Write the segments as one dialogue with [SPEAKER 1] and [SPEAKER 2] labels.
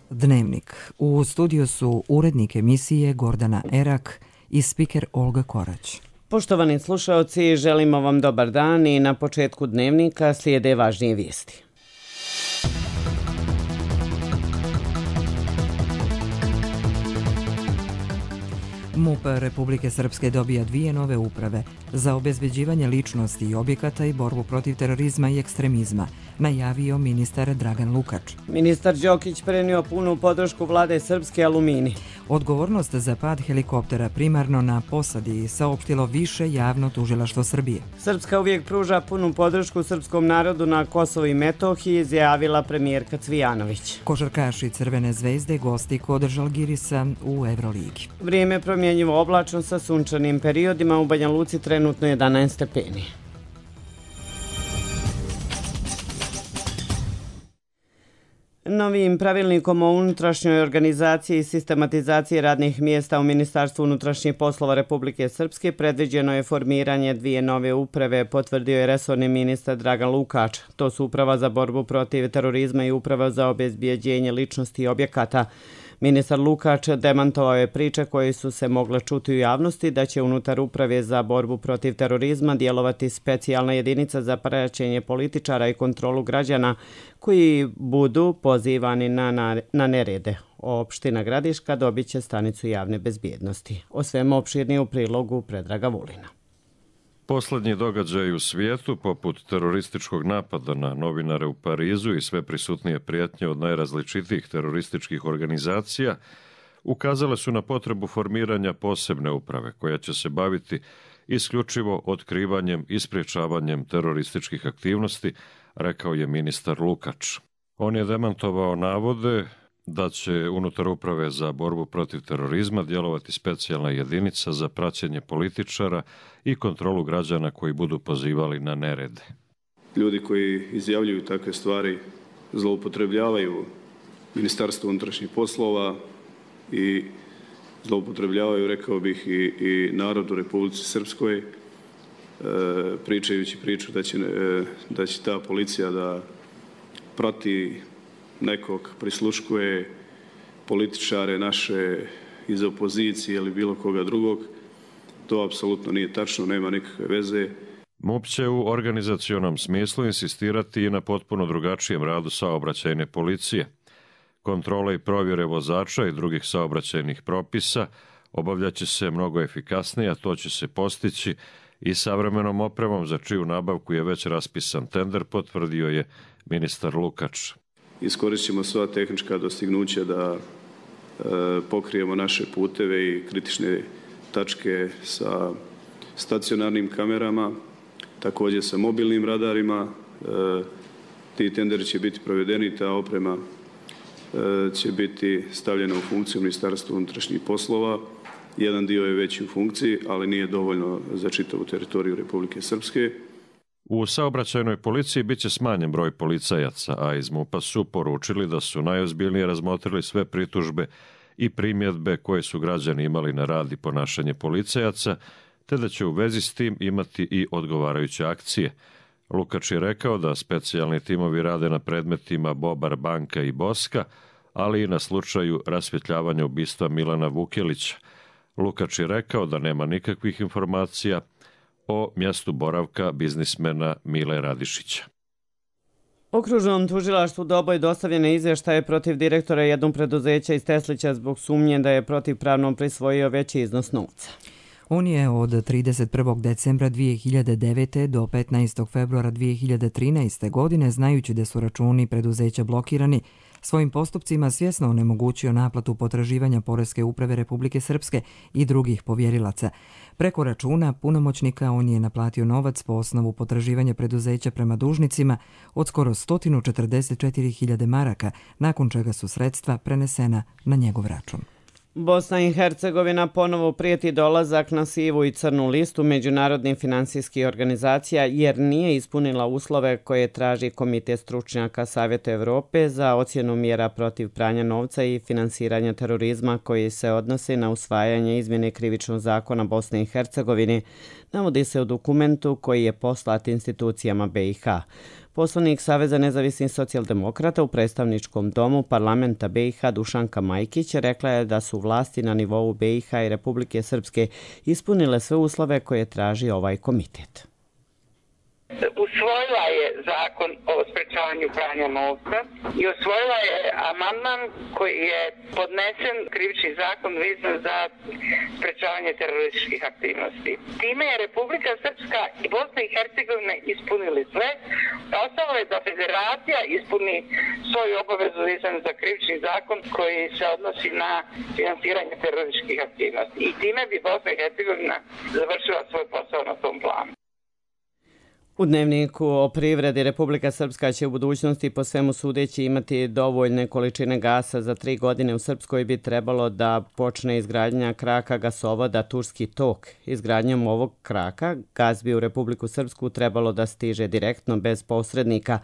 [SPEAKER 1] Dnevnik. U studiju su urednik emisije Gordana Erak i spiker Olga Korać.
[SPEAKER 2] Poštovani slušaoci, želimo vam dobar dan i na početku Dnevnika slijede važnije vijesti.
[SPEAKER 1] MUP Republike Srpske dobija 2 nove uprave za obezbeđivanje ličnosti i objekata i borbu protiv terorizma i ekstremizma, najavio ministar Dragan Lukač.
[SPEAKER 2] Ministar Đokić prenio punu podršku vlade Srpske Alumini.
[SPEAKER 1] Odgovornost za pad helikoptera primarno na posadi saopštilo Više javno tužilaštvo Srbije.
[SPEAKER 2] Srpska uvijek pruža punu podršku srpskom narodu na Kosovu i Metohiji, izjavila premijerka Cvijanović.
[SPEAKER 1] Košarkaši Crvene zvezde gosti kod Žalgirisa u Evroligi.
[SPEAKER 2] Vrijeme promjenjivo oblačno sa sunčanim periodima, u Banja Luci trenutno 11 stepeni. Novim pravilnikom o unutrašnjoj organizaciji i sistematizaciji radnih mjesta u Ministarstvu unutrašnjih poslova Republike Srpske predviđeno je formiranje 2 nove uprave, potvrdio je resorni ministar Dragan Lukač. To su Uprava za borbu protiv terorizma i Uprava za obezbeđenje ličnosti i objekata. Ministar Lukač demantovao je priče koje su se mogle čuti u javnosti da će unutar Uprave za borbu protiv terorizma djelovati specijalna jedinica za praćenje političara i kontrolu građana koji budu pozivani na nerede. Opština Gradiška dobit će stanicu javne bezbjednosti. O svemu opširnije u prilogu Predraga Vulina.
[SPEAKER 3] Poslednji događaji u svijetu, poput terorističkog napada na novinare u Parizu i sve prisutnije prijetnje od najrazličitijih terorističkih organizacija, ukazale su na potrebu formiranja posebne uprave koja će se baviti isključivo otkrivanjem i sprječavanjem terorističkih aktivnosti, rekao je ministar Lukač. On je demantovao navode da će unutar Uprave za borbu protiv terorizma djelovati specijalna jedinica za praćenje političara i kontrolu građana koji budu pozivali na nerede.
[SPEAKER 4] Ljudi koji izjavljuju takve stvari zloupotrebljavaju Ministarstvo unutrašnjih poslova i zloupotrebljavaju, rekao bih, i narod u Republici Srpskoj, pričajući priču da će ta policija da prati nekog, prisluškuje političare naše iz opozicije ili bilo koga drugog. To apsolutno nije tačno, nema nikakve veze.
[SPEAKER 3] MUP će u organizacionom smislu insistirati i na potpuno drugačijem radu saobraćajne policije. Kontrole i provjere vozača i drugih saobraćajnih propisa obavljaće se mnogo efikasnije, a to će se postići i savremenom opremom za čiju nabavku je već raspisan tender, potvrdio je ministar Lukač.
[SPEAKER 4] Iskoristit ćemo sva tehnička dostignuća da pokrijemo naše puteve i kritične tačke sa stacionarnim kamerama, također sa mobilnim radarima. Ti tenderi će biti provedeni, ta oprema će biti stavljena u funkciju Ministarstva unutrašnjih poslova. Jedan dio je već u funkciji, ali nije dovoljno za čitavu teritoriju Republike Srpske.
[SPEAKER 3] U saobraćajnoj policiji bit će smanjen broj policajaca, a iz MUP-a su poručili da su najozbiljnije razmotrili sve pritužbe i primjedbe koje su građani imali na rad i ponašanje policajaca, te da će u vezi s tim imati i odgovarajuće akcije. Lukač je rekao da specijalni timovi rade na predmetima Bobar, Banka i Boska, ali i na slučaju rasvjetljavanja ubistva Milana Vukelića. Lukač je rekao da nema nikakvih informacija o mjestu boravka biznismena Mile Radišića.
[SPEAKER 2] Okružnom tužilaštvu Doboj dostavljene izvještaje protiv direktora jednog preduzeća iz Teslića zbog sumnje da je protivpravno prisvojio veći iznos novca.
[SPEAKER 1] On je od 31. decembra 2009. do 15. februara 2013. godine, znajući da su računi preduzeća blokirani, svojim postupcima svjesno onemogućio naplatu potraživanja Poreske uprave Republike Srpske i drugih povjerilaca. Preko računa punomoćnika on je naplatio novac po osnovu potraživanja preduzeća prema dužnicima od skoro 144.000 maraka, nakon čega su sredstva prenesena na njegov račun.
[SPEAKER 2] Bosna i Hercegovina ponovo prijeti dolazak na sivu i crnu listu međunarodnih finansijskih organizacija jer nije ispunila uslove koje traži Komitet stručnjaka Savjeta Evrope za ocjenu mjera protiv pranja novca i finansiranja terorizma koji se odnose na usvajanje izmjene krivičnog zakona Bosne i Hercegovine, navodi se u dokumentu koji je poslat institucijama BiH. Poslanik Saveza nezavisnih socijaldemokrata u predstavničkom domu parlamenta BiH Dušanka Majkić rekla je da su vlasti na nivou BiH i Republike Srpske ispunile sve uslove koje traži ovaj komitet.
[SPEAKER 5] Usvojila je zakon o sprečavanju pranja novca i usvojila je amandman koji je podnesen krivični zakon vezan za sprečavanje terorističkih aktivnosti. Time je Republika Srpska i Bosna i Hercegovina ispunili sve. Ostalo je da federacija ispuni svoju obavezu vezanu za krivični zakon koji se odnosi na finansiranje terorističkih aktivnosti. I time bi Bosna i Hercegovina završila svoj posao na tom planu.
[SPEAKER 2] U dnevniku o privredi Republika Srpska će u budućnosti po svemu sudeći imati dovoljne količine gasa. Za 3 godine u Srpskoj bi trebalo da počne izgradnja kraka gasovoda Turski tok. Izgradnjom ovog kraka gas bi u Republiku Srpsku trebalo da stiže direktno bez posrednika,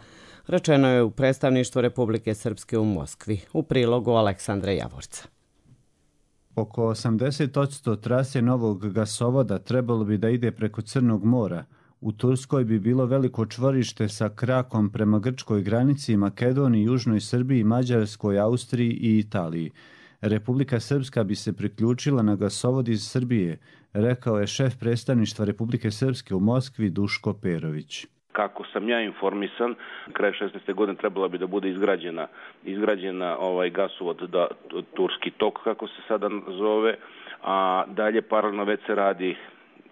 [SPEAKER 2] rečeno je u predstavništvu Republike Srpske u Moskvi. U prilogu Aleksandra Javorca.
[SPEAKER 6] Oko 80% trase novog gasovoda trebalo bi da ide preko Crnog mora. U Turskoj bi bilo veliko čvorište sa krakom prema grčkoj granici, Makedoniji, Južnoj Srbiji, Mađarskoj, Austriji i Italiji. Republika Srpska bi se priključila na gasovod iz Srbije, rekao je šef predstavništva Republike Srpske u Moskvi Duško Perović.
[SPEAKER 7] Kako sam ja informisan, kraj 16. godine trebala bi da bude izgrađena gasovod Turski tok, kako se sada zove, a dalje paralelno već se radi.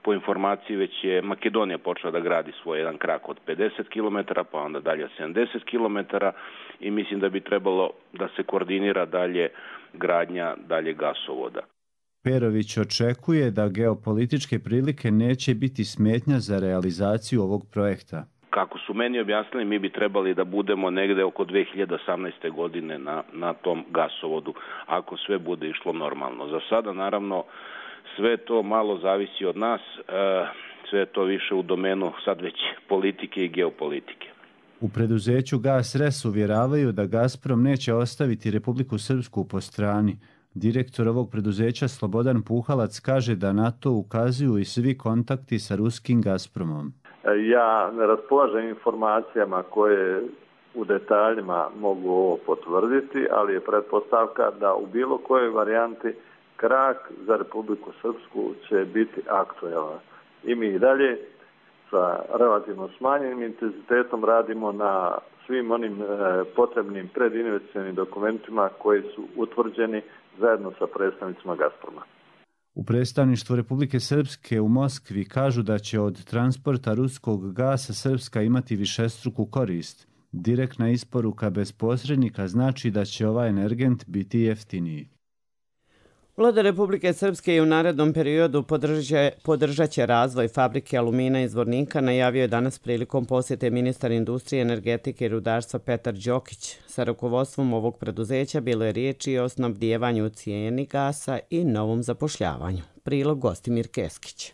[SPEAKER 7] Po informaciji već je Makedonija počela da gradi svoj jedan krak od 50 km, pa onda dalje 70 km i mislim da bi trebalo da se koordinira dalje gradnja dalje gasovoda.
[SPEAKER 6] Perović očekuje da geopolitičke prilike neće biti smetnja za realizaciju ovog projekta.
[SPEAKER 7] Kako su meni objasnili, mi bi trebali da budemo negde oko 2018. godine na tom gasovodu, ako sve bude išlo normalno. Za sada, naravno, sve to malo zavisi od nas, sve to više u domenu sad već politike i geopolitike.
[SPEAKER 6] U preduzeću GasRes uvjeravaju da Gazprom neće ostaviti Republiku Srpsku po strani. Direktor ovog preduzeća Slobodan Puhalac kaže da na to ukazuju i svi kontakti sa ruskim Gazpromom.
[SPEAKER 8] Ja ne raspolažem informacijama koje u detaljima mogu ovo potvrditi, ali je pretpostavka da u bilo kojoj varijanti krak za Republiku Srpsku će biti aktualan. I mi i dalje sa relativno smanjenim intenzitetom radimo na svim onim potrebnim predinvesticionim dokumentima koji su utvrđeni zajedno sa predstavnicima Gazproma.
[SPEAKER 6] U predstavništvu Republike Srpske u Moskvi kažu da će od transporta ruskog gasa Srpska imati višestruku korist. Direktna isporuka bez posrednika znači da će ovaj energent biti jeftiniji.
[SPEAKER 2] Vlada Republike Srpske je u narednom periodu podržat će razvoj fabrike alumina iz Zvornika, najavio je danas prilikom posjete ministar industrije, energetike i rudarstva Petar Đokić. Sa rukovodstvom ovog preduzeća bilo je riječi o snabdijevanju cijeni gasa i novom zapošljavanju. Prilog Gostimir Keskić.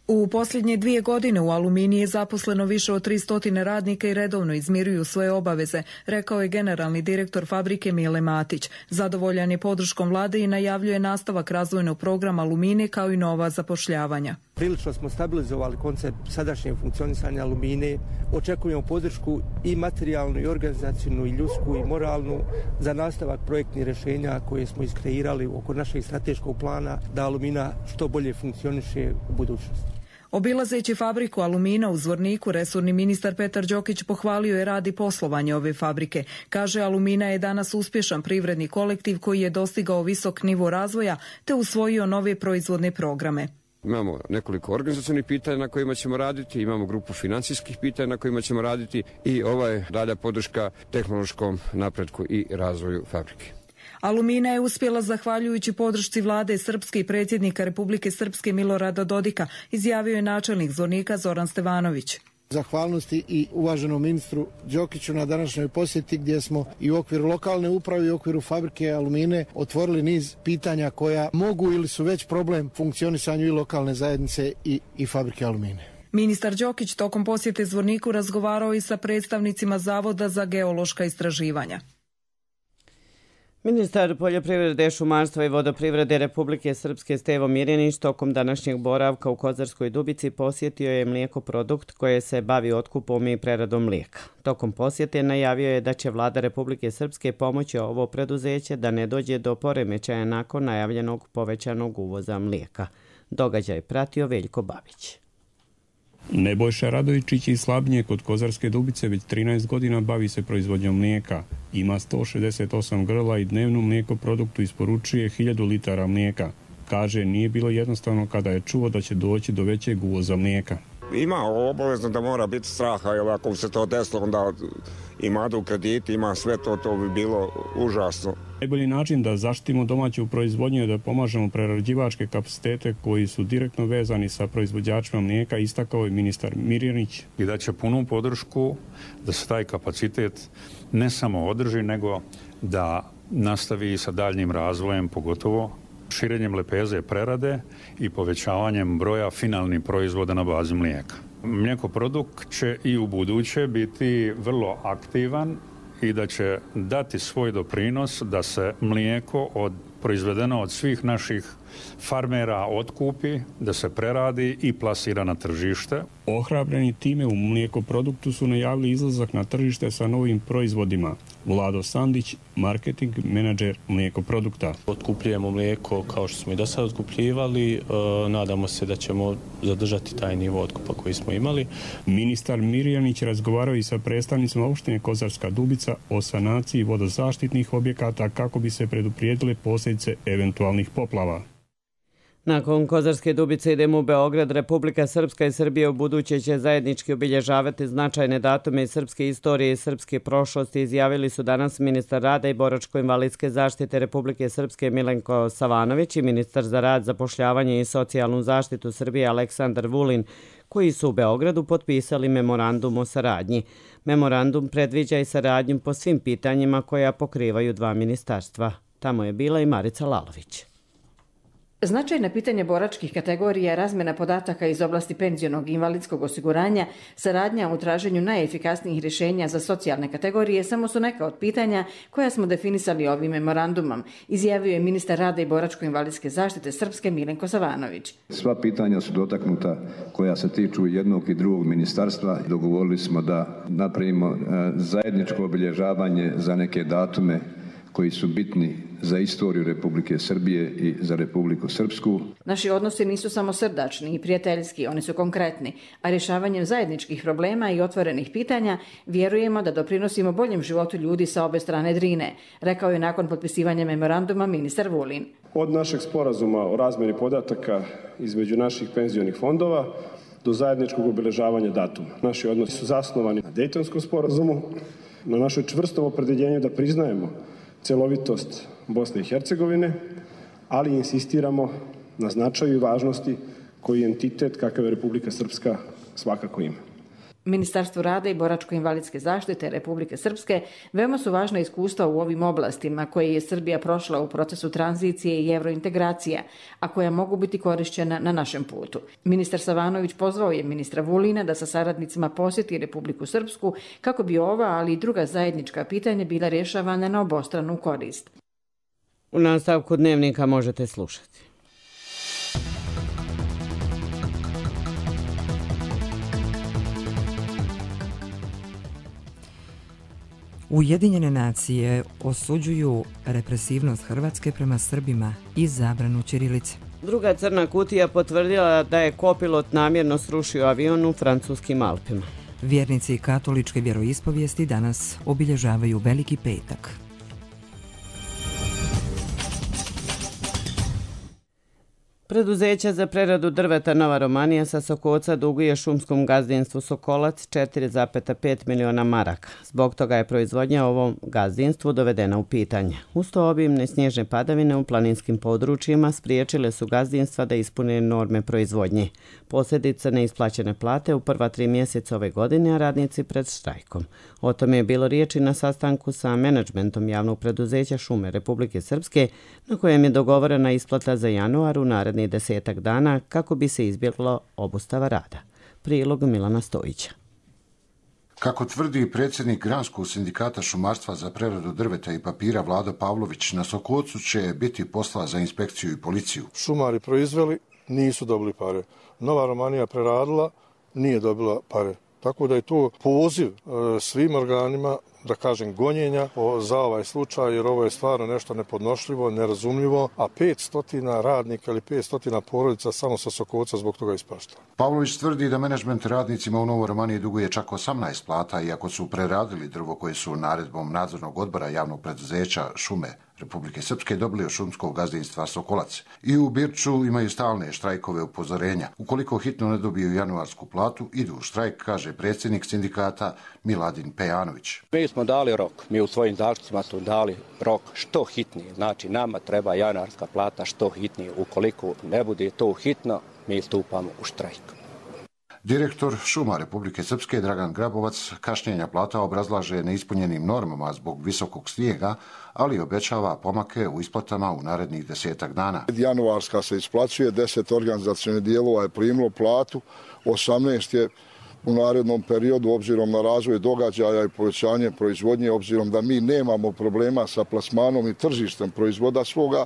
[SPEAKER 9] U posljednje 2 godine u Aluminiji je zaposleno više od 300 radnika i redovno izmiruju svoje obaveze, rekao je generalni direktor fabrike Mile Matić. Zadovoljan je podrškom vlade i najavljuje nastavak razvojnog programa Alumine kao i nova zapošljavanja.
[SPEAKER 10] Prilično smo stabilizovali koncept sadašnjeg funkcionisanja Alumine. Očekujemo podršku i materijalnu, i organizacijnu, i ljudsku, i moralnu za nastavak projektnih rješenja koje smo iskreirali oko našeg strateškog plana da Alumina što bolje funkcioniše u budućnosti.
[SPEAKER 9] Obilazeći fabriku alumina u Zvorniku, resorni ministar Petar Đokić pohvalio je rad i poslovanje ove fabrike. Kaže, Alumina je danas uspješan privredni kolektiv koji je dostigao visok nivo razvoja te usvojio nove proizvodne programe.
[SPEAKER 11] Imamo nekoliko organizacionih pitanja na kojima ćemo raditi, imamo grupu financijskih pitanja na kojima ćemo raditi i ova je dalja podrška tehnološkom napretku i razvoju fabrike.
[SPEAKER 9] Alumina je uspjela zahvaljujući podršci vlade Srpske i predsjednika Republike Srpske Milorada Dodika, izjavio je načelnik Zvornika Zoran Stevanović.
[SPEAKER 12] Zahvalnosti i uvaženom ministru Đokiću na današnjoj posjeti gdje smo i u okviru lokalne uprave i u okviru fabrike Alumine otvorili niz pitanja koja mogu ili su već problem funkcionisanju i lokalne zajednice i fabrike Alumine.
[SPEAKER 9] Ministar Đokić tokom posjete Zvorniku razgovarao i sa predstavnicima Zavoda za geološka istraživanja.
[SPEAKER 2] Ministar poljoprivrede, šumarstva i vodoprivrede Republike Srpske Stevo Mirjanić tokom današnjeg boravka u Kozarskoj Dubici posjetio je mlijekoprodukt koje se bavi otkupom i preradom mlijeka. Tokom posjete najavio je da će vlada Republike Srpske pomoći ovo preduzeće da ne dođe do poremećaja nakon najavljenog povećanog uvoza mlijeka. Događaj pratio Veljko Babić.
[SPEAKER 13] Nebojša Radojičić iz Slabnje kod Kozarske Dubice već 13 godina bavi se proizvodnjom mlijeka. Ima 168 grla i dnevnu mlijekoproduktu isporučuje 1000 litara mlijeka. Kaže, nije bilo jednostavno kada je čuo da će doći do većeg uvoza mlijeka.
[SPEAKER 14] Ima obavezno da mora biti straha, jer ako bi se to desilo, onda ima do krediti, ima sve to bi bilo užasno.
[SPEAKER 13] Najbolji način da zaštitimo domaću proizvodnju je da pomažemo prerađivačke kapacitete koji su direktno vezani sa proizvođačima mlijeka, istakao je ministar Mirjanić.
[SPEAKER 15] I da će punu podršku da se taj kapacitet ne samo održi, nego da nastavi sa daljnjim razvojem, pogotovo širenjem lepeze prerade i povećavanjem broja finalnih proizvoda na bazi mlijeka. Mlijekoprodukt će i u buduće biti vrlo aktivan i da će dati svoj doprinos da se mlijeko proizvedeno od svih naših farmera otkupi, da se preradi i plasira na tržište.
[SPEAKER 13] Ohrabreni time u mlijekoproduktu su najavili izlazak na tržište sa novim proizvodima. Vlado Sandić, marketing menadžer mlijekoprodukta.
[SPEAKER 16] Otkupljujemo mlijeko kao što smo i do sada otkupljivali. Nadamo se da ćemo zadržati taj nivo otkupa koji smo imali.
[SPEAKER 13] Ministar Mirjanić razgovarao i sa predstavnicima opštine Kozarska Dubica o sanaciji vodozaštitnih objekata kako bi se preduprijedile posljedice eventualnih poplava.
[SPEAKER 2] Nakon Kozarske Dubice idemo u Beograd. Republika Srpska i Srbija u buduće će zajednički obilježavati značajne datume iz srpske istorije i srpske prošlosti, izjavili su danas ministar rada i boračko-invalidske zaštite Republike Srpske Milenko Savanović i ministar za rad, zapošljavanje i socijalnu zaštitu Srbije Aleksandar Vulin, koji su u Beogradu potpisali memorandum o saradnji. Memorandum predviđa i saradnju po svim pitanjima koja pokrivaju dva ministarstva. Tamo je bila i Marica Lalović.
[SPEAKER 17] Značajna pitanja boračkih kategorija, razmjena podataka iz oblasti penzionog i invalidskog osiguranja, saradnja u traženju najefikasnijih rješenja za socijalne kategorije samo su neka od pitanja koja smo definisali ovim memorandumom, izjavio je ministar rada i boračko-invalidske zaštite Srpske Milenko Savanović.
[SPEAKER 18] Sva pitanja su dotaknuta koja se tiču jednog i drugog ministarstva. Dogovorili smo da napravimo zajedničko obilježavanje za neke datume koji su bitni za istoriju Republike Srbije i za Republiku Srpsku.
[SPEAKER 17] Naši odnosi nisu samo srdačni i prijateljski, oni su konkretni, a rješavanjem zajedničkih problema i otvorenih pitanja vjerujemo da doprinosimo boljem životu ljudi sa obe strane Drine, rekao je nakon potpisivanja memoranduma ministar Vulin.
[SPEAKER 19] Od našeg sporazuma o razmjeni podataka između naših penzionih fondova do zajedničkog obilježavanja datuma. Naši odnosi su zasnovani na Dejtonskom sporazumu, na našoj čvrstom opredjeljenju da priznajemo celovitost Bosne i Hercegovine, ali insistiramo na značaju i važnosti koji entitet kakav je Republika Srpska svakako ima.
[SPEAKER 17] Ministarstvu rada i boračko-invalidske zaštite Republike Srpske veoma su važna iskustva u ovim oblastima koje je Srbija prošla u procesu tranzicije i evrointegracija, a koja mogu biti korišćena na našem putu. Ministar Savanović pozvao je ministra Vulina da sa saradnicima posjeti Republiku Srpsku kako bi ova, ali i druga zajednička pitanja bila rješavana na obostranu korist.
[SPEAKER 2] U nastavku dnevnika možete slušati.
[SPEAKER 1] Ujedinjene nacije osuđuju represivnost Hrvatske prema Srbima i zabranu ćirilice.
[SPEAKER 2] Druga crna kutija potvrdila da je kopilot namjerno srušio avion u francuskim Alpima.
[SPEAKER 1] Vjernici katoličke vjeroispovijesti danas obilježavaju Veliki petak.
[SPEAKER 2] Preduzeće za preradu drveta Nova Romanija sa Sokoca duguje šumskom gazdinstvu Sokolac 4,5 miliona maraka. Zbog toga je proizvodnja ovom gazdinstvu dovedena u pitanje. Uz to obimne snježne padavine u planinskim područjima spriječile su gazdinstva da ispune norme proizvodnje. Posljedica neisplaćene plate u prva 3 mjeseca ove godine, a radnici pred štrajkom. O tome je bilo riječi na sastanku sa menadžmentom javnog preduzeća Šume Republike Srpske, na kojem je dogovorena isplata za januar u narednih 10 dana kako bi se izbjeglo obustava rada. Prilog Milana Stojića.
[SPEAKER 20] Kako tvrdi predsjednik Granskog sindikata šumarstva za preradu drveta i papira Vlado Pavlović, na Sokocu će biti posla za inspekciju i policiju.
[SPEAKER 21] Šumari proizveli, nisu dobili pare. Nova Romanija preradila, nije dobila pare. Tako da je to poziv svim organima, da kažem, gonjenja za ovaj slučaj, jer ovo je stvarno nešto nepodnošljivo, nerazumljivo, a 500 radnika ili 500 porodica samo sa Sokoca zbog toga ispašta.
[SPEAKER 20] Pavlović tvrdi da menadžment radnicima u Novoj Romaniji duguje čak 18 plata, iako su preradili drvo koje su naredbom nadzornog odbora javnog preduzeća Šume Republike Srpske dobili od šumskog gazdinstva Sokolac. I u Birču imaju stalne štrajkove upozorenja. Ukoliko hitno ne dobiju januarsku platu, idu u štrajk, kaže predsjednik sindikata Miladin Pejanović.
[SPEAKER 22] Mi smo dali rok, mi u svojim zaključcima smo dali rok što hitnije. Znači nama treba januarska plata što hitnije. Ukoliko ne bude to hitno, mi stupamo u štrajk.
[SPEAKER 20] Direktor Šuma Republike Srpske Dragan Grabovac kašnjenja plata obrazlaže neispunjenim normama zbog visokog snijega, ali obećava pomake u isplatama u narednih 10 dana.
[SPEAKER 23] Januarska se isplaćuje, 10 organizacionih dijelova je primilo platu, 18 je u narednom periodu, obzirom na razvoj događaja i povećanje proizvodnje, obzirom da mi nemamo problema sa plasmanom i tržištem proizvoda svoga,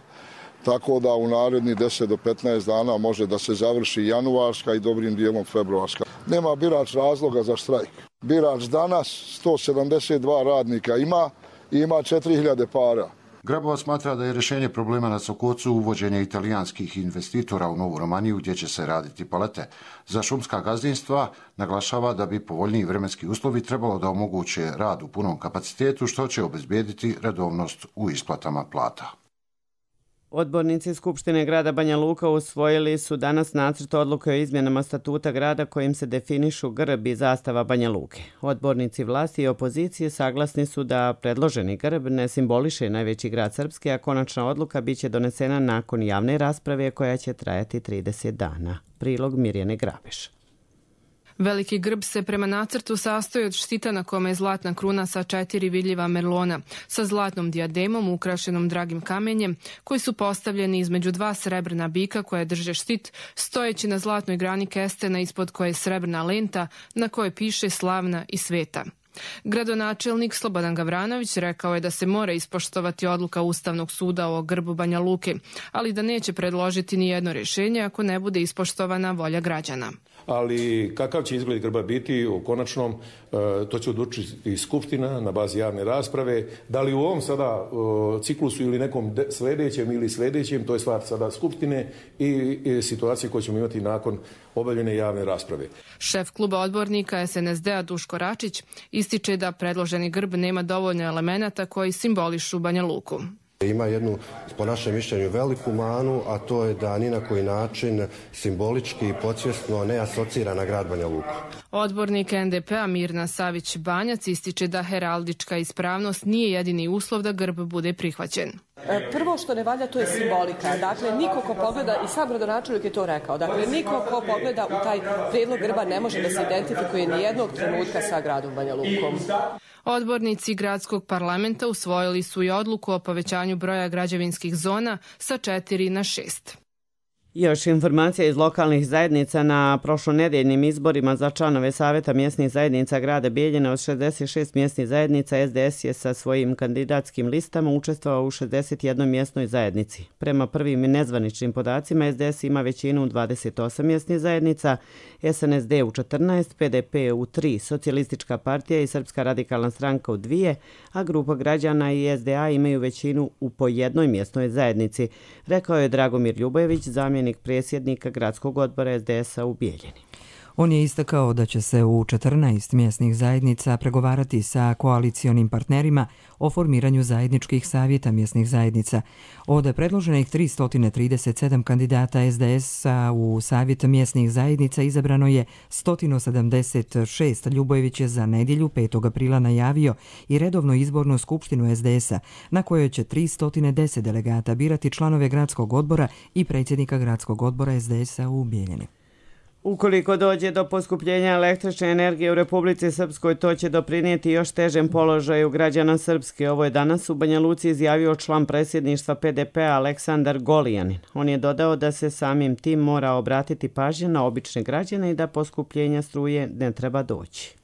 [SPEAKER 23] tako da u narednih 10 do 15 dana može da se završi januarska i dobrim dijelom februarska. Nema birač razloga za štrajk. Birač danas 172 radnika ima i ima 4000 para.
[SPEAKER 20] Grabovac smatra da je rješenje problema na Sokocu uvođenje italijanskih investitora u Novu Romaniju gdje će se raditi palete. Za šumska gazdinstva naglašava da bi povoljniji vremenski uslovi trebalo da omoguće rad u punom kapacitetu, što će obezbijediti redovnost u isplatama plata.
[SPEAKER 2] Odbornici Skupštine grada Banja Luka usvojili su danas nacrt odluke o izmjenama statuta grada kojim se definišu grb i zastava Banja Luke. Odbornici vlasti i opozicije saglasni su da predloženi grb ne simboliše najveći grad Srpske, a konačna odluka biće donesena nakon javne rasprave koja će trajati 30 dana. Prilog Mirjane Grabeš.
[SPEAKER 24] Veliki grb se prema nacrtu sastoji od štita na kome je zlatna kruna sa 4 vidljiva merlona, sa zlatnom dijademom ukrašenom dragim kamenjem, koji su postavljeni između 2 srebrna bika koje drže štit, stojeći na zlatnoj grani kestena ispod koje je srebrna lenta na kojoj piše slavna i sveta. Gradonačelnik Slobodan Gavranović rekao je da se mora ispoštovati odluka Ustavnog suda o grbu Banja Luke, ali da neće predložiti ni jedno rješenje ako ne bude ispoštovana volja građana.
[SPEAKER 25] Ali kakav će izgled grba biti u konačnom, to će odlučiti Skupština na bazi javne rasprave. Da li u ovom sada ciklusu ili nekom sljedećem, to je stvar sada Skupštine i situacije koje ćemo imati nakon obavljene javne rasprave.
[SPEAKER 24] Šef kluba odbornika SNSD-a Duško Račić ističe da predloženi grb nema dovoljno elemenata koji simbolišu Banja Luku.
[SPEAKER 26] Ima jednu, po našem mišljenju, veliku manu, a to je da ni na koji način simbolički i podsvjesno ne asocira na grad Banja Luku.
[SPEAKER 24] Odbornik NDP-a Mirna Savić-Banjac ističe da heraldička ispravnost nije jedini uslov da grb bude prihvaćen.
[SPEAKER 27] Prvo što ne valja, to je simbolika. Dakle, niko ko pogleda, i sam gradonačelnik je to rekao, dakle, niko ko pogleda u taj prijedlog grba ne može da se identifikuje ni jednog trenutka sa gradom Banja Lukom.
[SPEAKER 24] Odbornici gradskog parlamenta usvojili su i odluku o povećanju broja građevinskih zona sa 4 na 6.
[SPEAKER 2] Još informacija iz lokalnih zajednica. Na prošlonedeljnim izborima za članove Saveta mjesnih zajednica grada Bijeljine od 66 mjesnih zajednica SDS je sa svojim kandidatskim listama učestvovao u 61 mjesnoj zajednici. Prema prvim nezvaničnim podacima SDS ima većinu u 28 mjesnih zajednica, SNSD u 14, PDP u 3, Socijalistička partija i Srpska radikalna stranka u 2, a grupa građana i SDA imaju većinu u po jednoj mjesnoj zajednici, rekao je Dragomir Ljubojević, zamjenik predsjednika gradskog odbora SDS-a u Bijeljini.
[SPEAKER 1] On je istakao da će se u 14 mjesnih zajednica pregovarati sa koalicionim partnerima o formiranju zajedničkih savjeta mjesnih zajednica. Od predloženih 337 kandidata SDS-a u savjet mjesnih zajednica izabrano je 176. Ljubojević je za nedjelju 5. aprila najavio i redovnu izbornu skupštinu SDS-a na kojoj će 310 delegata birati članove gradskog odbora i predsjednika gradskog odbora SDS-a u Bijeljini.
[SPEAKER 2] Ukoliko dođe do poskupljenja električne energije u Republici Srpskoj, to će doprinijeti još težem položaju građana Srpske. Ovo je danas u Banja Luci izjavio član predsjedništva PDP-a Aleksandar Golijanin. On je dodao da se samim tim mora obratiti pažnja na obične građane i da poskupljenja struje ne treba doći.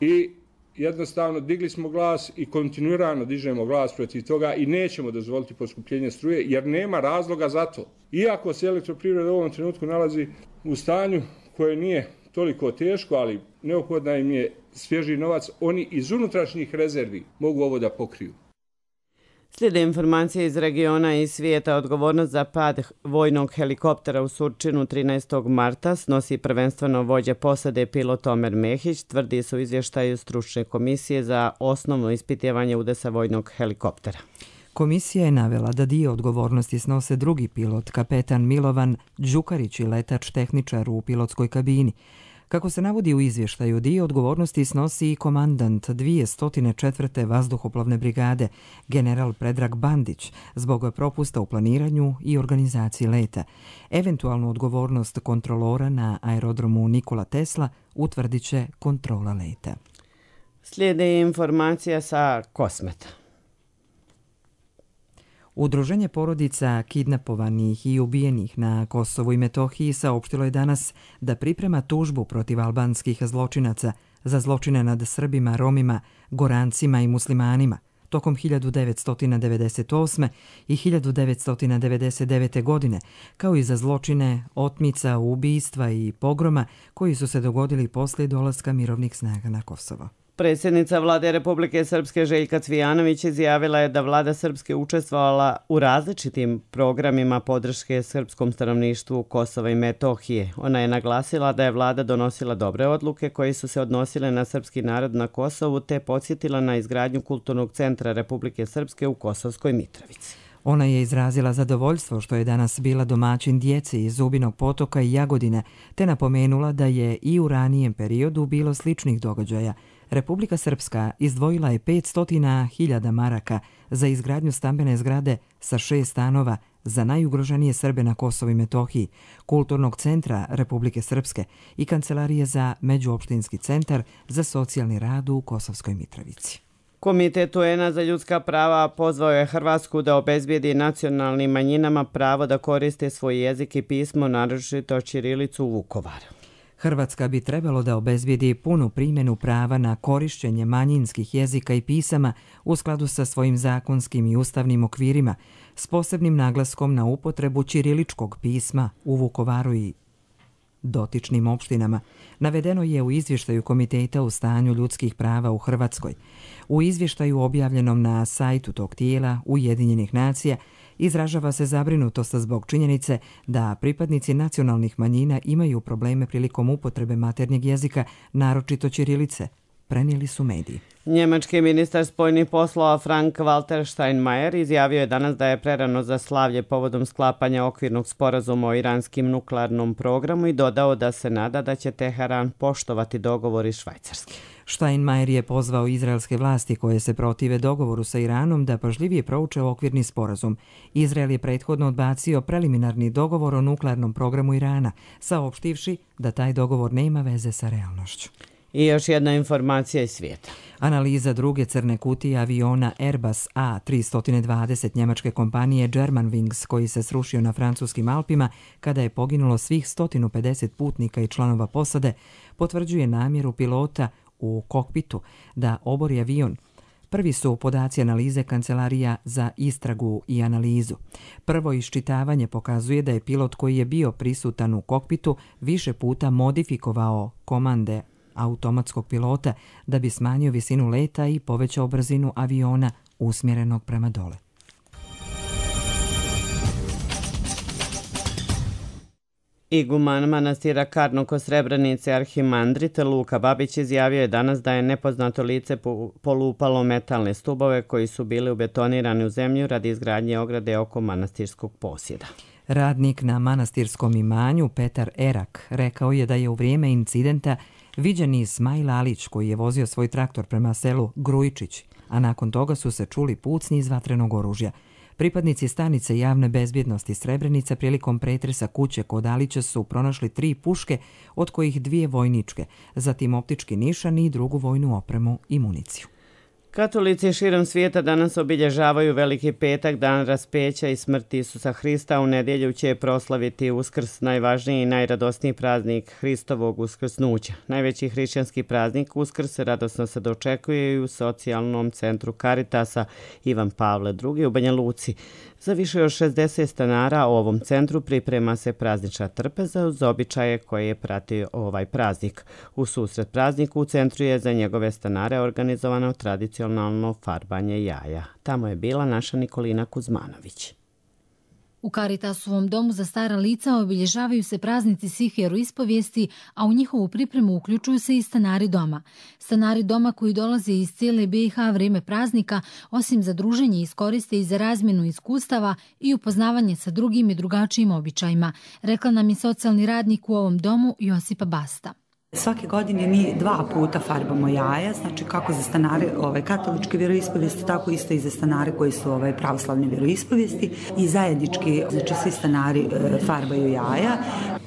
[SPEAKER 3] i jednostavno digli smo glas i kontinuirano dižemo glas protiv toga i nećemo dozvoliti poskupljenje struje jer nema razloga za to. Iako se elektroprivreda u ovom trenutku nalazi u stanju koje nije toliko teško, ali neophodna im je svježi novac, oni iz unutrašnjih rezervi mogu ovo da pokriju.
[SPEAKER 2] Slijede informacije iz regiona i svijeta. Odgovornost za pad vojnog helikoptera u Surčinu 13. marta snosi prvenstveno vođa posade pilot Omer Mehić, tvrdi se u izvještaju stručne komisije za osnovno ispitivanje udesa vojnog helikoptera.
[SPEAKER 1] Komisija je navela da dio odgovornosti snose drugi pilot, kapetan Milovan Đukarić i letač tehničar u pilotskoj kabini. Kako se navodi u izvještaju, dio odgovornosti snosi i komandant 204. vazduhoplovne brigade, general Predrag Bandić, zbog propusta u planiranju i organizaciji leta. Eventualnu odgovornost kontrolora na aerodromu Nikola Tesla utvrdit će kontrola leta.
[SPEAKER 2] Slijede informacija sa Kosmeta.
[SPEAKER 1] Udruženje porodica kidnapovanih i ubijenih na Kosovu i Metohiji saopštilo je danas da priprema tužbu protiv albanskih zločinaca za zločine nad Srbima, Romima, Gorancima i muslimanima tokom 1998. i 1999. godine, kao i za zločine otmica, ubistva i pogroma koji su se dogodili poslije dolaska mirovnih snaga na Kosovo.
[SPEAKER 2] Predsjednica vlade Republike Srpske Željka Cvijanović izjavila je da vlada Srpske učestvovala u različitim programima podrške srpskom stanovništvu Kosova i Metohije. Ona je naglasila da je vlada donosila dobre odluke koje su se odnosile na srpski narod na Kosovu te podsjetila na izgradnju kulturnog centra Republike Srpske u Kosovskoj Mitrovici.
[SPEAKER 1] Ona je izrazila zadovoljstvo što je danas bila domaćin djeci iz Zubinog Potoka i Jagodine, te napomenula da je i u ranijem periodu bilo sličnih događaja. Republika Srpska izdvojila je 500.000 maraka za izgradnju stambene zgrade sa 6 stanova za najugroženije Srbe na Kosovu i Metohiji, kulturnog centra Republike Srpske i kancelarije za međuopštinski centar za socijalni rad u Kosovskoj Mitrovici.
[SPEAKER 2] Komitet UN-a za ljudska prava pozvao je Hrvatsku da obezbijedi nacionalnim manjinama pravo da koriste svoj jezik i pismo, naročito ćirilicu u Vukovaru.
[SPEAKER 1] Hrvatska bi trebalo da obezbijedi punu primjenu prava na korišćenje manjinskih jezika i pisama u skladu sa svojim zakonskim i ustavnim okvirima, s posebnim naglaskom na upotrebu ćiriličkog pisma u Vukovaru i dotičnim opštinama, navedeno je u izvještaju Komiteta u stanju ljudskih prava u Hrvatskoj. U izvještaju objavljenom na sajtu tog tijela Ujedinjenih nacija izražava se zabrinutost zbog činjenice da pripadnici nacionalnih manjina imaju probleme prilikom upotrebe maternjeg jezika, naročito ćirilice, prenijeli su mediji.
[SPEAKER 2] Njemački ministar spoljnih poslova Frank-Walter Steinmeier izjavio je danas da je prerano za slavlje povodom sklapanja okvirnog sporazuma o iranskim nuklearnom programu i dodao da se nada da će Teheran poštovati dogovor iz Švajcarske.
[SPEAKER 1] Steinmeier je pozvao izraelske vlasti koje se protive dogovoru sa Iranom da pažljivije prouče okvirni sporazum. Izrael je prethodno odbacio preliminarni dogovor o nuklearnom programu Irana, saopštivši da taj dogovor nema veze sa realnošću.
[SPEAKER 2] I još jedna informacija iz svijeta.
[SPEAKER 1] Analiza druge crne kutije aviona Airbus A320 njemačke kompanije Germanwings, koji se srušio na francuskim Alpima kada je poginulo svih 150 putnika i članova posade, potvrđuje namjeru pilota u kokpitu da obori avion. Prvi su podaci analize Kancelarija za istragu i analizu. Prvo iščitavanje pokazuje da je pilot koji je bio prisutan u kokpitu više puta modifikovao komande automatskog pilota da bi smanjio visinu leta i povećao brzinu aviona usmjerenog prema dole.
[SPEAKER 2] Iguman manastira Karno kod Srebrenice arhimandrit Luka Babić izjavio je danas da je nepoznato lice polupalo metalne stubove koji su bili ubetonirani u zemlju radi izgradnje ograde oko manastirskog posjeda.
[SPEAKER 1] Radnik na manastirskom imanju Petar Erak rekao je da je u vrijeme incidenta viđen Ismail Alić koji je vozio svoj traktor prema selu Grujičić, a nakon toga su se čuli pucnji iz vatrenog oružja. Pripadnici stanice javne bezbjednosti Srebrenica prilikom pretresa kuće kod Alića su pronašli 3 puške, od kojih 2 vojničke, zatim optički nišan i drugu vojnu opremu i municiju.
[SPEAKER 2] Katolici širom svijeta danas obilježavaju Veliki petak, dan raspeća i smrti Isusa Hrista. U nedjelju će proslaviti Uskrs, najvažniji i najradosniji praznik Hristovog uskrsnuća. Najveći hrišćanski praznik Uskrs radosno se dočekuje i u socijalnom centru Caritasa Ivan Pavle II u Banja Luci. Za više od 60 stanara u ovom centru priprema se praznična trpeza uz običaje koje je pratio ovaj praznik. U susret prazniku u centru je za njegove stanare organizovano tradicionalno farbanje jaja. Tamo je bila naša Nikolina Kuzmanović.
[SPEAKER 4] U Caritasovom domu za stara lica obilježavaju se praznici svih vjeroispovijesti, a u njihovu pripremu uključuju se i stanari doma. Stanari doma koji dolaze iz cijele BiH vrijeme praznika, osim za druženje, iskoriste i za razmjenu iskustava i upoznavanje sa drugim i drugačijim običajima, rekla nam je socijalni radnik u ovom domu Josipa Basta.
[SPEAKER 5] Svake godine mi 2 puta farbamo jaja, znači kako za stanare katoličke vjeroispovijesti, tako isto i za stanare koji su pravoslavne vjeroispovijesti i zajednički, znači svi stanari farbaju jaja,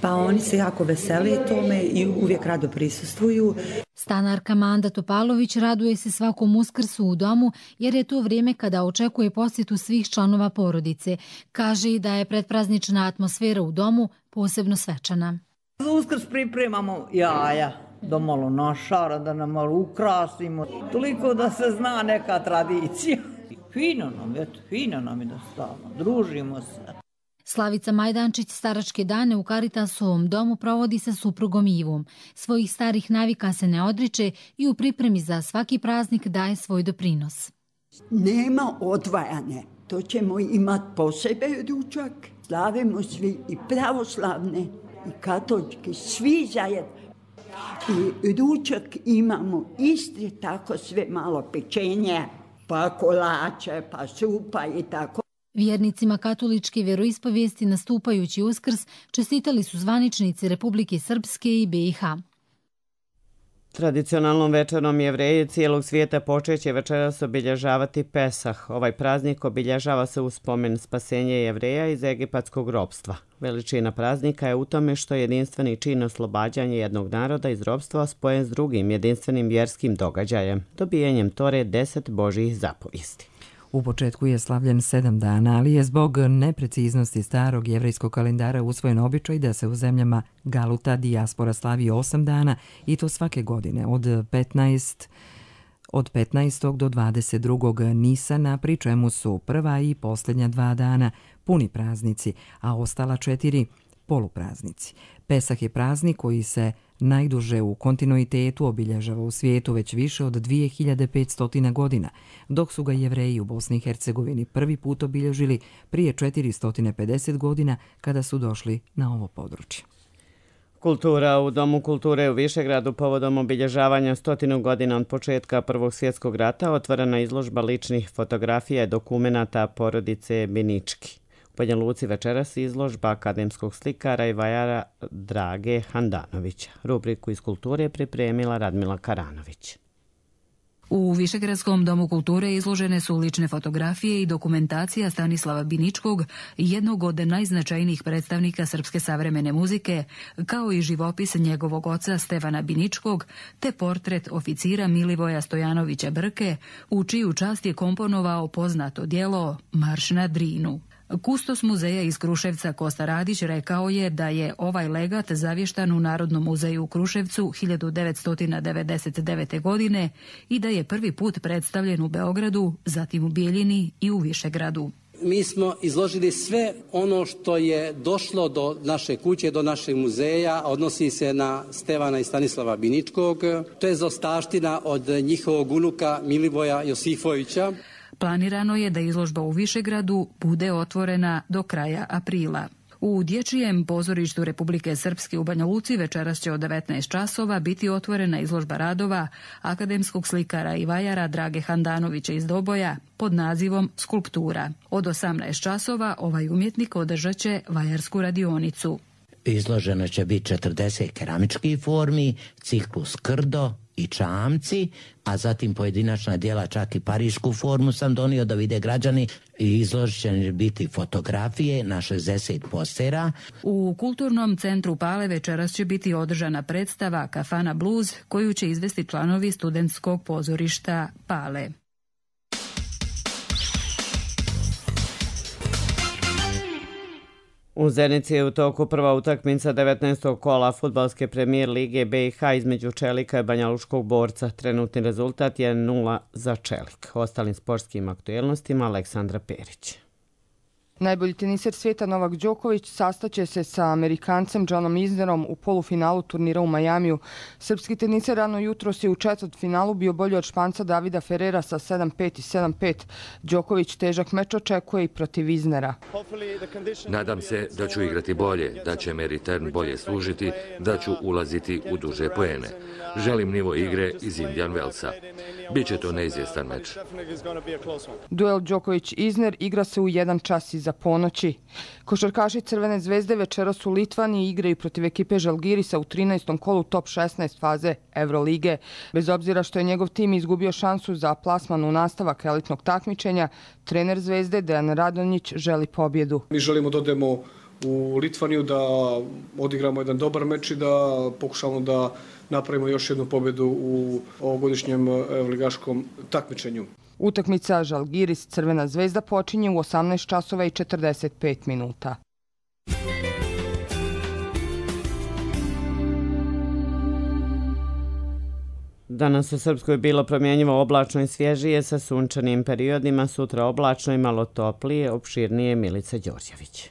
[SPEAKER 5] pa oni se jako vesele tome i uvijek rado prisustvuju.
[SPEAKER 4] Stanarka Manda Topalović raduje se svakom Uskrsu u domu jer je to vrijeme kada očekuje posjetu svih članova porodice. Kaže i da je predpraznična atmosfera u domu posebno svečana.
[SPEAKER 6] Za Uskrs pripremamo jaja, da malo našara, da nam malo ukrasimo, toliko da se zna neka tradicija. Fino nam je da stavimo, družimo se.
[SPEAKER 4] Slavica Majdančić staračke dane u Caritasovom domu provodi sa suprugom Ivom. Svojih starih navika se ne odriče i u pripremi za svaki praznik daje svoj doprinos.
[SPEAKER 7] Nema odvajanja, to ćemo imati posebe ručak, slavimo svi i pravoslavne i katolički, svi zajedno. I ručak imamo isti, tako sve malo pečenje, pa kolače, pa supa i tako.
[SPEAKER 4] Vjernicima katoličke vjeroispovijesti nastupajući Uskrs čestitali su zvaničnici Republike Srpske i BiH.
[SPEAKER 2] Tradicionalnom večerom Jevreji cijelog svijeta počeće večeras obilježavati Pesah. Ovaj praznik obilježava se u spomen spasenja Jevreja iz egipatskog ropstva. Veličina praznika je u tome što je jedinstveni čin oslobađanja jednog naroda iz ropstva spojen s drugim jedinstvenim vjerskim događajem, dobijanjem Tore 10 Božjih zapovijesti.
[SPEAKER 1] U početku je slavljen 7 dana, ali je zbog nepreciznosti starog jevrejskog kalendara usvojen običaj da se u zemljama Galuta dijaspora slavi 8 dana i to svake godine od 15. do 22. Nisana, pri čemu su prva i posljednja 2 dana puni praznici, a ostala 4 polupraznici. Pesah je praznik koji se najduže u kontinuitetu obilježava u svijetu već više od 2500 godina, dok su ga Jevreji u Bosni i Hercegovini prvi put obilježili prije 450 godina kada su došli na ovo područje.
[SPEAKER 2] Kultura u Domu kulture u Višegradu povodom obilježavanja 100 godina od početka Prvog svjetskog rata otvorena izložba ličnih fotografija i dokumenata porodice Binički. U Banja Luci večeras izložba akademskog slikara i vajara Drage Handanovića. Rubriku iz kulture je pripremila Radmila Karanović.
[SPEAKER 8] U Višegradskom domu kulture izložene su lične fotografije i dokumentacija Stanislava Biničkog, jednog od najznačajnijih predstavnika srpske savremene muzike, kao i živopis njegovog oca Stevana Biničkog, te portret oficira Milivoja Stojanovića Brke, u čiju čast je komponovao poznato djelo Marš na Drinu. Kustos muzeja iz Kruševca Kosta Radić rekao je da je ovaj legat zavještan u Narodnom muzeju u Kruševcu 1999. godine i da je prvi put predstavljen u Beogradu, zatim u Bijeljini i u Višegradu.
[SPEAKER 10] Mi smo izložili sve ono što je došlo do naše kuće, do našeg muzeja, odnosi se na Stevana i Stanislava Biničkog. To je zaostavština od njihovog unuka Milivoja Josifovića.
[SPEAKER 8] Planirano je da izložba u Višegradu bude otvorena do kraja aprila. U Dječjem pozorištu Republike Srpske u Banja Luci večeras će od 19 časova biti otvorena izložba radova akademskog slikara i vajara Drage Handanovića iz Doboja pod nazivom Skulptura. Od 18 časova ovaj umjetnik održat će vajarsku radionicu.
[SPEAKER 11] Izloženo će biti 40 keramičkih formi, ciklus krdo i čamci, a zatim pojedinačna djela, čak i parišku formu sam donio da vide građani. I izložit će biti fotografije na 60 postera.
[SPEAKER 8] U Kulturnom centru Pale večeras će biti održana predstava Kafana Blues koju će izvesti članovi studentskog pozorišta Pale.
[SPEAKER 2] U Zenici je u toku prva utakmica 19. kola fudbalske premijer lige BiH između Čelika i Banjalučkog Borca. Trenutni rezultat je 0 za Čelik. Ostalim sportskim aktuelnostima Aleksandra Perić.
[SPEAKER 9] Najbolji teniser svijeta Novak Đoković sastaće se sa Amerikancem Johnom Isnerom u polufinalu turnira u Majamiju. Srpski teniser rano jutros je u četvrtfinalu bio bolji od Španca Davida Ferrera sa 7-5 i 7-5. Đoković težak meč očekuje i protiv Isnera.
[SPEAKER 12] Nadam se da ću igrati bolje, da će me return bolje služiti, da ću ulaziti u duže poene. Želim nivo igre iz Indian Wellsa. Biće to neizvjestan meč.
[SPEAKER 9] Duel Đoković-Isner igra se u 1 čas iza ponoći. Košarkaši Crvene zvezde večeras u Litvaniji igraju protiv ekipe Žalgirisa u 13. kolu top 16 faze Evrolige. Bez obzira što je njegov tim izgubio šansu za plasman u nastavak elitnog takmičenja, trener Zvezde Dejan Radonjić želi pobjedu.
[SPEAKER 13] Mi želimo da odemo u Litvaniju, da odigramo jedan dobar meč i da pokušamo da napravimo još jednu pobjedu u ovogodišnjem evroligaškom takmičenju.
[SPEAKER 9] Utakmica Žalgiris Crvena zvezda počinje u 18 časova i 45 minuta.
[SPEAKER 2] Danas u Srpskoj bilo promjenjivo oblačno i svježije sa sunčanim periodima, sutra oblačno i malo toplije, opširnije Milica Đorđević.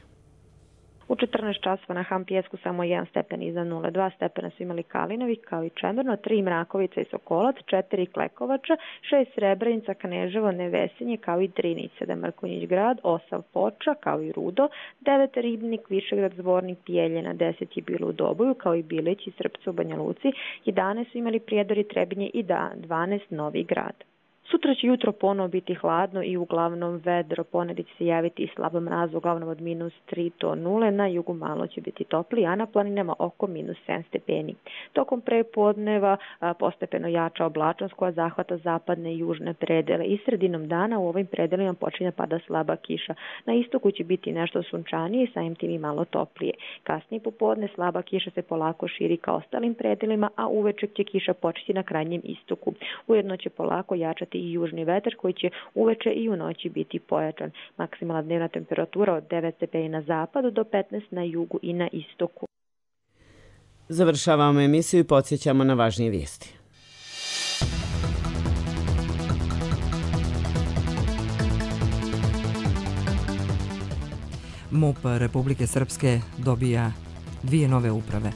[SPEAKER 14] U 14 časova na Hampijesku samo 1 stepen iznad 0, 2 stepena su imali Kalinović kao i Čemerno, 3 Mrakovica i Sokolac, 4 Klekovača, 6 Srebrenica, Kneževo, Nevesinje kao i Drinić, 7 Mrkonjić grad, 8 Foča kao i Rudo, 9 Ribnik, Višegrad, Zvornik, Bijeljina, 10 je bilo u Doboju kao i Bilić i Srpcu u Banja Luci, 11 su imali Prijedor i Trebinje i 12 Novi grad. Sutra će jutro ponovo biti hladno i uglavnom vedro, ponedjeljak će se javiti i slabo mraz, uglavnom od -3 do 0, na jugu malo će biti topli, a na planinama oko -7 stepeni. Tokom prepodneva postepeno jača oblačnost koja zahvata zapadne i južne predele i sredinom dana u ovim predelima počinje pada slaba kiša. Na istoku će biti nešto sunčanije i samim tim i malo toplije. Kasnije popodne slaba kiša se polako širi ka ostalim predelima, a uveče će kiša početi na krajnjem istoku. Ujedno će polako jačati i južni vetar koji će uveče i u noći biti pojačan. Maksimalna dnevna temperatura od 9 stepeni na zapadu do 15 na jugu i na istoku.
[SPEAKER 2] Završavamo emisiju i podsjećamo na važnije vijesti.
[SPEAKER 1] MUP Republike Srpske dobija 2 nove uprave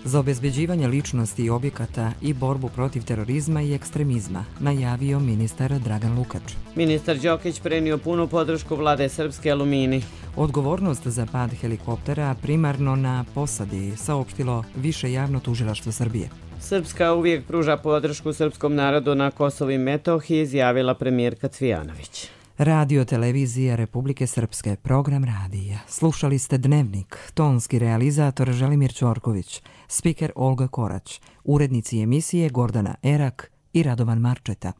[SPEAKER 1] za obezbeđivanje ličnosti i objekata i borbu protiv terorizma i ekstremizma, najavio ministar Dragan Lukač.
[SPEAKER 2] Ministar Đokić prenio punu podršku vlade Srpske Alumini.
[SPEAKER 1] Odgovornost za pad helikoptera primarno na posadi, saopštilo Više javno tužilaštvo Srbije.
[SPEAKER 2] Srpska uvijek pruža podršku srpskom narodu na Kosovu i Metohiji, izjavila premijerka Cvijanović.
[SPEAKER 1] Radio televizija Republike Srpske, program radija. Slušali ste Dnevnik, tonski realizator Želimir Ćorković, spiker Olga Korać, urednici emisije Gordana Erak i Radovan Marčeta.